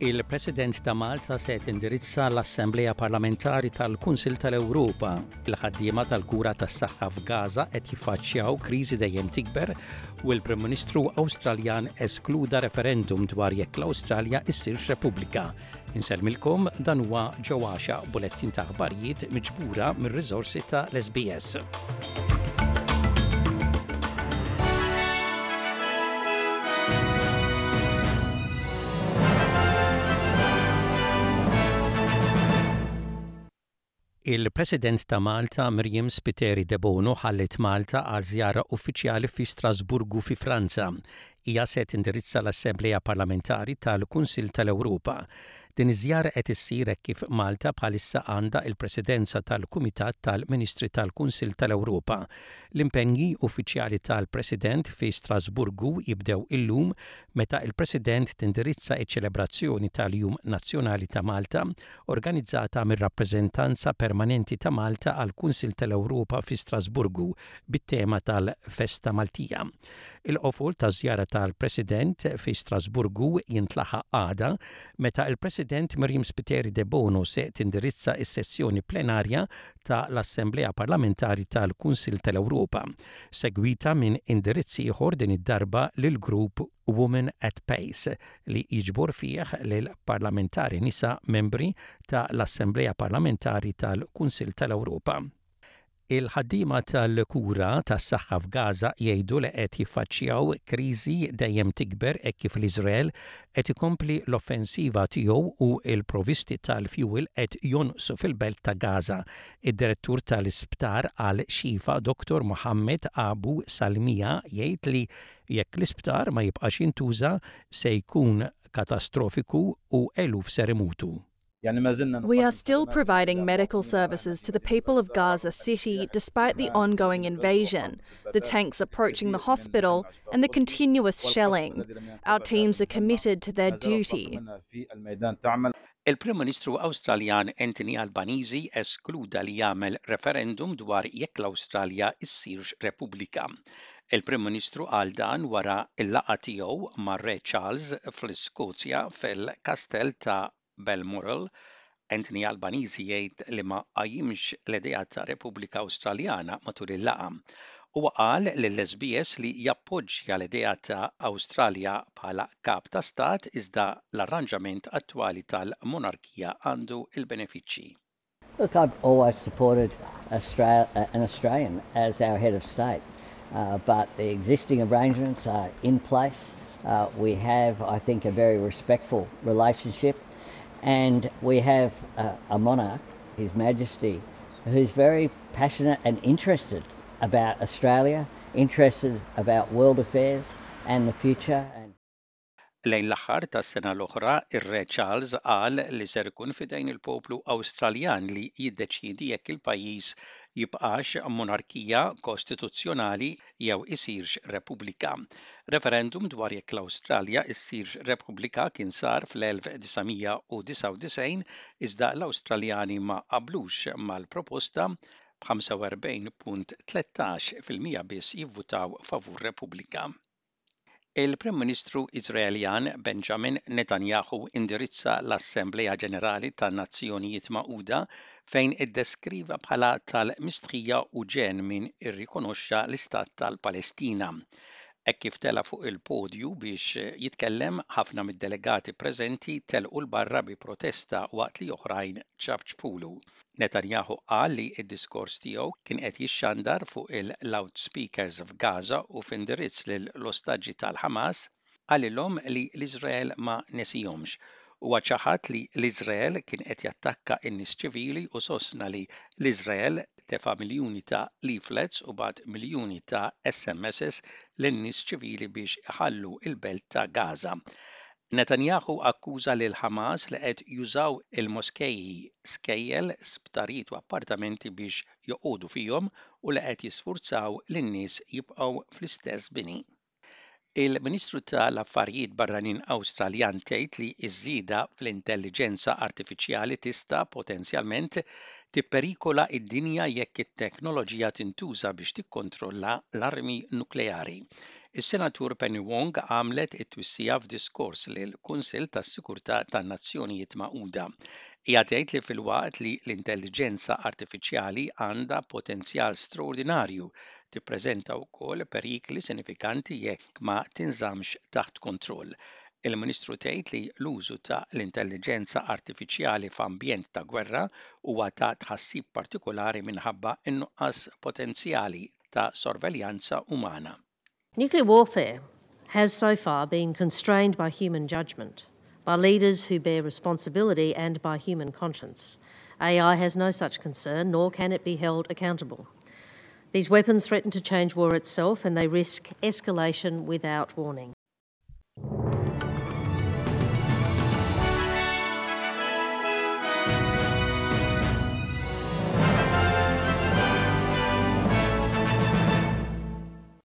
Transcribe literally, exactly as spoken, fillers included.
Il-President ta' Malta se tindirizza l-Assemblea Parlamentari tal-Kunsil tal-Ewropa. Il-ħaddiema tal-kura tas-saħħa f'Gaza qed jiffaċċjaw kriżi dejjem tikber u l-Prim Ministru Awstraljan eskluda referendum dwar jekk l-Awstralja issirx Repubblika. Insellmilkom, dan huwa ġewwaxa bulettin ta' aħbarijiet miġbura mir-riżorsi ta' l-S B S. Il-President ta' Malta, Myriam Spiteri Debono, ħallit Malta għal żjara uffiċjali fi Strasburgu fi Franza. Hija se tindirizza l-Assemblea Parlamentari tal-Kunsil tal-Ewropa. Din iż-żjara qed issir kif Malta bħalissa għandha il-Presidenza tal-Kumitat tal-Ministri tal-Kunsil tal-Ewropa. L-impenji uffiċjali tal-President fi Strasburgu jibdew illum meta il-President tindirizza iċ-ċelebrazzjoni tal-Jum Nazzjonali ta' Malta organizzata mir-Rappreżentanza Permanenti ta' Malta għal Kunsil tal-Ewropa fi Strasburgu bit-tema tal-Festa Maltija. Il-qofol ta' żjara tal-President fi Strasburgu jintlaħaq għada meta il-President Myriam Spiteri Debono se tindirizza is-sessjoni plenarja ta' l-Assemblea Parlamentari tal-Kunsil tal-Ewropa, segwita minn indirizzi ieħor, din id-darba lil grupp Women at Pace li jiġbor fih lil parlamentari nisa membri ta' l-Assemblea Parlamentari tal-Kunsil tal-Ewropa. Il-ħaddiema tal-kura tas-saħħa f'Gaza jgħidu li qed jiffaċċjaw kriżi dejjem tikber hekk kif l-Iżrael qed ikompli l-offensiva tiegħu u l-provisti tal-fuel qed jonqsu fil-belt ta' Gaza. Id-direttur tal-isptar Al-Shifa, Doktor Mohammed Abu Salmia, jgħid li jekk l-isptar ma jibqax jintuża se jkun katastrofiku u eluf ser imutu. We are still providing medical services to the people of Gaza City despite the ongoing invasion, the tanks approaching the hospital, and the continuous shelling. Our teams are committed to their duty. Il-Prim Ministru Awstraljan Anthony Albanese eskluda li jagħmel referendum dwar jekk l-Awstralja issirx Repubblika. Il-Prim Ministru qal dan wara il-laqgħa tiegħu mar-Re Charles fl-Iskozja fil-Kastell ta' Balmoral. Anthony Albanese jgħid li ma qajjimx l-idea ta' Repubblika Awstraljana matul il-laqgħa. Huwa qal lill-S B S li jappoġġja l-idea ta' Awstralja bħala kap ta' stat, iżda l-arranġament attwali tal-monarkija għandu il-benefiċċji. Look, I've always supported Australia, an Australian as our head of state, uh, but the existing arrangements are in place. Uh, we have, I think, a very respectful relationship, and we have a, a monarch, His Majesty, who's very passionate and interested about Australia, interested about world affairs and the future. And Lejn l-aħħar tas-sena l-oħra, ir-Re Charles qal li ser ikun fidejn il-poplu Awstraljan li jiddeċiedi jekk il-pajjiż jibqax monarkija kostituzzjonali jew isirx repubblika. Referendum dwar jekk l-Awstralja issirx repubblika kien sar fl-elf disa' mija u disgħa u disgħin, iżda l-Awstraljani ma qablux mal-proposta, b'ħamsa u erbgħin punt tlettax fil-mija biss jivvutaw favur repubblika. Il-Prim Ministru Iżraeljan Benjamin Netanyahu indirizza l-Assemblea Ġenerali tan-Nazzjonijiet Magħquda, fejn iddeskriva bħala tal-mistħija u ġenn min irrikonoxxa l-Istat tal-Palestina. Hekk kif tela fuq il-podju biex jitkellem, ħafna mid-delegati preżenti telqu 'l barra bi protesta waqt li oħrajn ċapċpulu. Netanyahu qal li d-diskors tiegħu kien qed jixxandar fuq il-loudspeakers f'Gaza u f'indirizz lill-ostaġġi tal-Hamas qalilhom li l-Iżrael ma nesihomx. Huwa ċaħad li l-Iżrael kien qed jattakka n-nies ċivili u sostna li l-Iżrael tefa' miljuni ta' leaflets u bagħat miljuni ta' S M Ss lin-nies ċivili biex iħallu il-belt ta' Gaza. Netanyahu akkuża lil Hamas li qed jużaw il-moskeji, skejjel, sptarijiet u appartamenti biex joqogħdu fihom u li qed jisfurzaw lin-nies jibqgħu fl-istess bini. Il-Ministru tal-Affarijiet Barranin Awstraljan tgħid li ż-żieda fl-intelligenza artifiċjali tista' potenzjalment tipperikola id-dinja jekk it-teknoloġija tintuża biex tikkontrolla l-armi nukleari. Is-Senatur Penny Wong għamlet it-twissija f'diskors lil Kunsill tas-Sigurtà tan-Nazzjonijiet Magħquda. Hija tgħid li filwaqt li l-intelligenza artifiċjali għandha potenzjal straordinarju, tippreżenta wkoll perikli sinifikanti jekk ma tinżamx taħt kontroll. Il-Ministru tgħid li l-użu ta' l-intelligenza artifiċjali f'ambjent ta' gwerra huwa ta' tħassib partikolari minħabba n-nuqqas potenzjali ta' sorveljanza umana. Nuclear warfare has so far been constrained by human judgment, by leaders who bear responsibility and by human conscience. A I has no such concern, nor can it be held accountable. These weapons threaten to change war itself and they risk escalation without warning.